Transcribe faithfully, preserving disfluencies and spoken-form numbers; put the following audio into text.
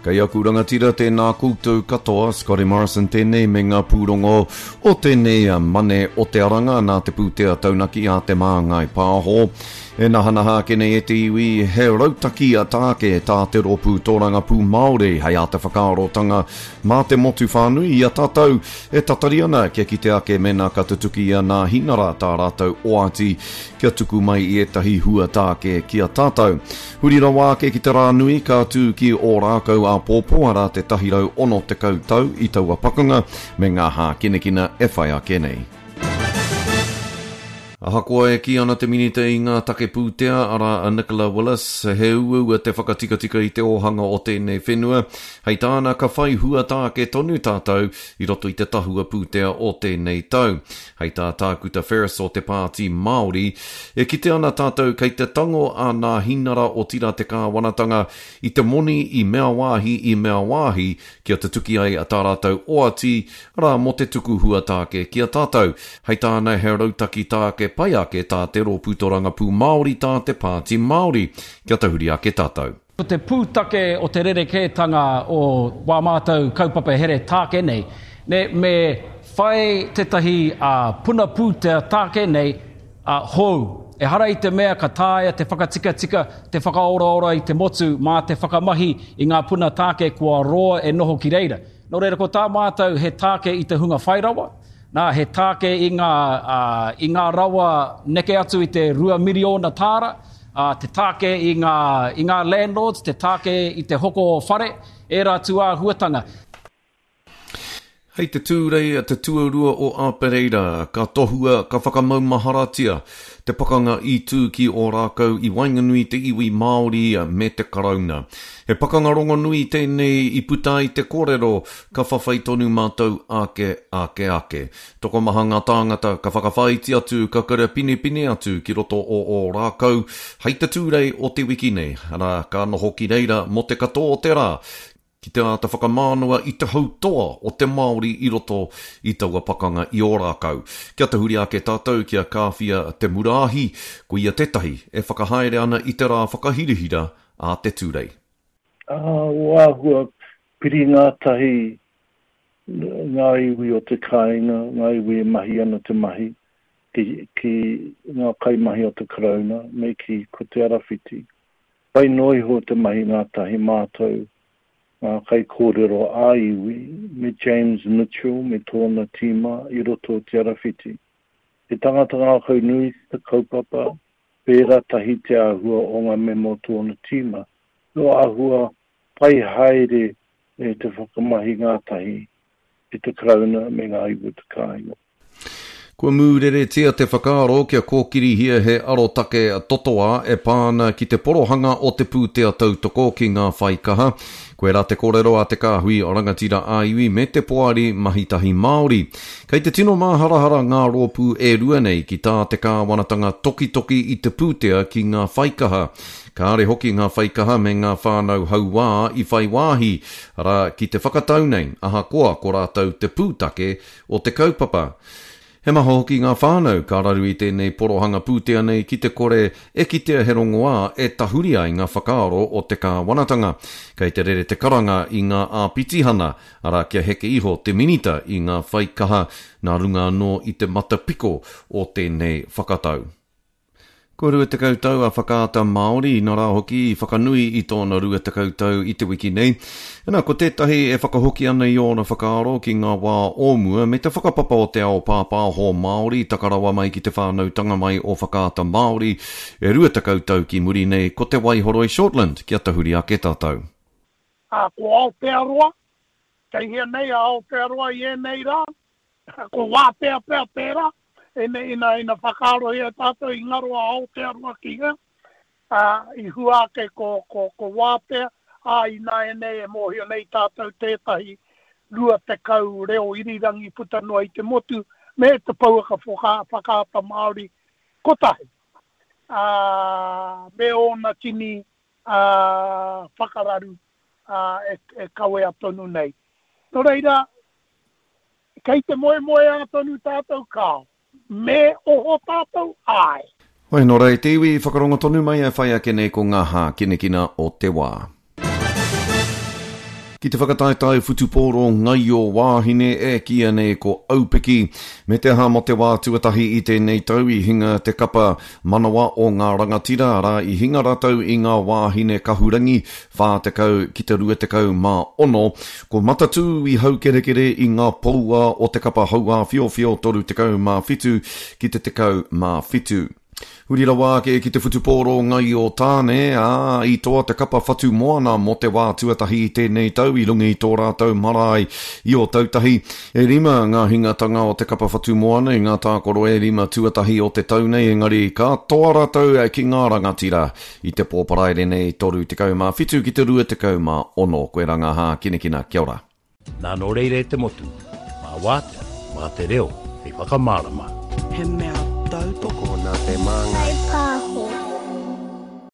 Kei aku rangatira tēnā koutou katoa, Scotty Morrison tēnei me ngā pūrongo o tēnei mane o te aranga nā te pūtea taunaki a Te Māngai Pāho. E nahanaha ake nei e te iwi, he rautaki a tāke tā te rōpū tōrangapū Māori hei āta whakaarotanga mā te motu whānui i a tātou e tatari ana kia kite ake mēnā ka tutuki i a Nāhinara tā rātou oati kia tuku mai i ētahi hua tāke ki a tātou. Huri rawa ake ki te rā nui ka tū ki Ōrākau āpōpō arā te tahi rau ono tekau tau i taua pakanga me ngā hākinakina e whai ake nei. Ahakoa e kī ana te minita i ngā take pūtea, arā a Nicola Willis, he uaua te whakatikatika i te ōhanga o tēnei whenua, hei tāna ka whai hua tāke tonu tātou i roto i te tahua pūtea o tēnei tau. Hei tā Tākuta Ferris o te Pāti Māori, e kite ana tātou kei te tango a Nāhinara otirā te kāwanatanga i te moni i mea wāhi i mea wāhi kia tutuki ai tā rātou oati, arā mō te tuku hua tāke ki a tātou. Hei tāna he rautaki tāke pai ake tā te rōpū tōrangapū Māori tā te Pāti Māori. Kia tahuri ake tātou. Ko te pūtake o te rerekētanga o wā mātou kaupapa here tāke nei, ne, me whai tētahi uh, puna pūtea tāke nei uh, hou. Ehara i te mea ka taea te whakatikatika, te whakaoraora i te motu mā te whakamahi i ngā puna tāke kua roa e noho ki reira. Nō reira ko tā mātou he tāke i te hunga whairawa, nā, he tāke i ngā, uh, i ngā rawa neke atu i te rua miriona tāra, uh, te tāke i ngā, i ngā landlords, te tāke i te hoko whare, ērā tūāhuatanga. Hei te Tūrei te tuarua o Āpereira, ka tohua, ka whakamaumaharatia te pakanga i tū ki Ōrākau i waenganui te iwi Māori me te Karauna. He pakanga rongonui tēnei i puta ai te kōrero ka whawhai tonu mātou ake, ake, ake. Tokomaha ngā tāngata ka whakawhāiti atu, ka karapinepine atu ki roto o Ōrākau hei te Tūrei o te wiki nei, arā, ka noho ki reira mō te katoa o te rā, ki te āta whakamānawa i te hautoa o te Māori i roto i taua pakanga i Ōrākau. Kia tahuri ake tātou kia Kāwhia Te Muraahi, ko ia tētahi e whakahaere ana i te rā whakahirahira a te Tūrei. Uh, o āhua piri ngātahi ngā iwi o te kāinga, ngā iwi e mahi ana te mahi, ki, ki ngā kaimahi o te Karauna, me ki ko Te Arawhiti. Pai noa iho te mahi ngātahi mātou, ngā kaikōrero ā-iwi, me James Mitchell me tōna tīma i roto o Te Arawhiti. He tangata ngākau nui te kaupapa, pērā tahi te āhua o ngā mema o tōna tīma. No āhua pai haere e te whakamahi ngātahi i te Karauna me ngā iwi o te kāinga. Kua mūreretia te whakaaro kia kōkirihia he arotake totoa e pā ana ki te porohanga o te pūtea tautoko ki ngā whaikaha. Koirā te kōrero a te kāhui rangatira ā-iwi me te poari mahitahi Māori. Kei te tino māharahara ngā rōpū e rua nei ki tā te kāwanatanga tokitoki i te pūtea ki ngā whaikaha. Kāre hoki ngā whaikaha me ngā whānau hauā i whai wāhi, arā, ki te whakatau nei, ahakoa ko rātou te pūtake o te kaupapa. He maha hoki ngā whānau ka raru i tēnei porohanga pūtea nei ki te kore e kitea he rongoā e tahuri ai ngā whakaaro o te kāwanatanga. Kei te rere te karanga i ngā āpitihana, arā kia heke iho te minita i ngā whaikaha nā runga anō i te matapiko o tēnei whakatau. Kua rua tekau tau a Whakaata Māori, nā rā hoki i whakanui i tōna rua tekau tau i te wiki nei. Nā, ko tētahi e whakahoki ana i ōna whakaaro ki ngā wā o mua me te whakapapa o te ao pāpāho Māori taka rawa mai ki te whānautanga mai o Whakaata Māori e rua tekau tau ki muri nei ko Te Waihoroi Shortland kia tahuri ake tātou. Ā, ko Aotearoa, kei hea nei a Aotearoa i ēnei rā, ko Wātea pea tērā, ina, ina, ina whakaarohia tātou i ngaro a Aotearoa ki hea, ā, i hua ake ko, ko, ko Wātea, ā, ināianei e mōhio nei tātou tētahi rua tekau reo irirangi puta noa i te motu, me te pouaka whakaata Māori kotahi, ā, me ōna tini, ā, whakararu, ā, e, e kawea tonu nei. Nō reira, kei te moemoeā tonu tātou, kāo. Me oho tātou, āe. Hoi, nō reira, te iwi whakarongo tonu mai e whai ake nei ko ngā hākinakina o te wā. Ki te whakataetae whutupōro ngaio wāhine e kīia nei ko Aupiki, me te aha mō te wā tuatahi i tēnei tau i hinga te kapa manawa o ngā rangatira, arā i hinga rātou i ngā wāhine kahurangi whā tekau ki te rua tekau mā ono. Ko Matatū i haukerekere i ngā poua o te kapa hauāwhiowhio toru tekau mā whitu ki te tekau mā whitu. Huri rawa ake ki te whutupōro ngaio tāne, ā, i toa te kapa whatu moana mō te wā tuatahi i tēnei tau i runga i tō rātou marae i Ōtautahi. E rima ngā hingatanga o te kapa whatu moana i ngā tākaro e rima tuatahi o te tau nei, engari ka toa rātou ki ngā rangatira i te pō Paraire nei toru tekau mā whitu ki te rua tekau mā ono. Koe rā ngā hākinakina. Kia ora. Nā nō reira e te motu, mā wātea, mā te reo hei whakamārama. He mea tautoko. Tokona te māngai.